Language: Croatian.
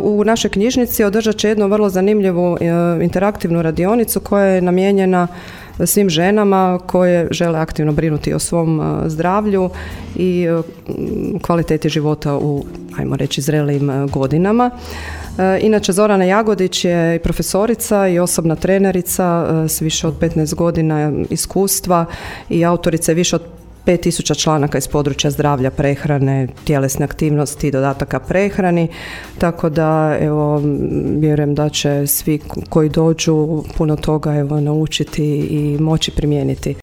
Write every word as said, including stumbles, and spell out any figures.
u našoj knjižnici održat će jednu vrlo zanimljivu interaktivnu radionicu koja je namijenjena svim ženama koje žele aktivno brinuti o svom zdravlju i kvaliteti života u, ajmo reći, zrelijim godinama. Inače, Zorana Jagodić je profesorica i osobna trenerica s više od petnaest godina iskustva i autorica je više od pet tisuća članaka iz područja zdravlja, prehrane, tjelesne aktivnosti i dodataka prehrani, tako da evo, vjerujem da će svi koji dođu puno toga evo, naučiti i moći primijeniti.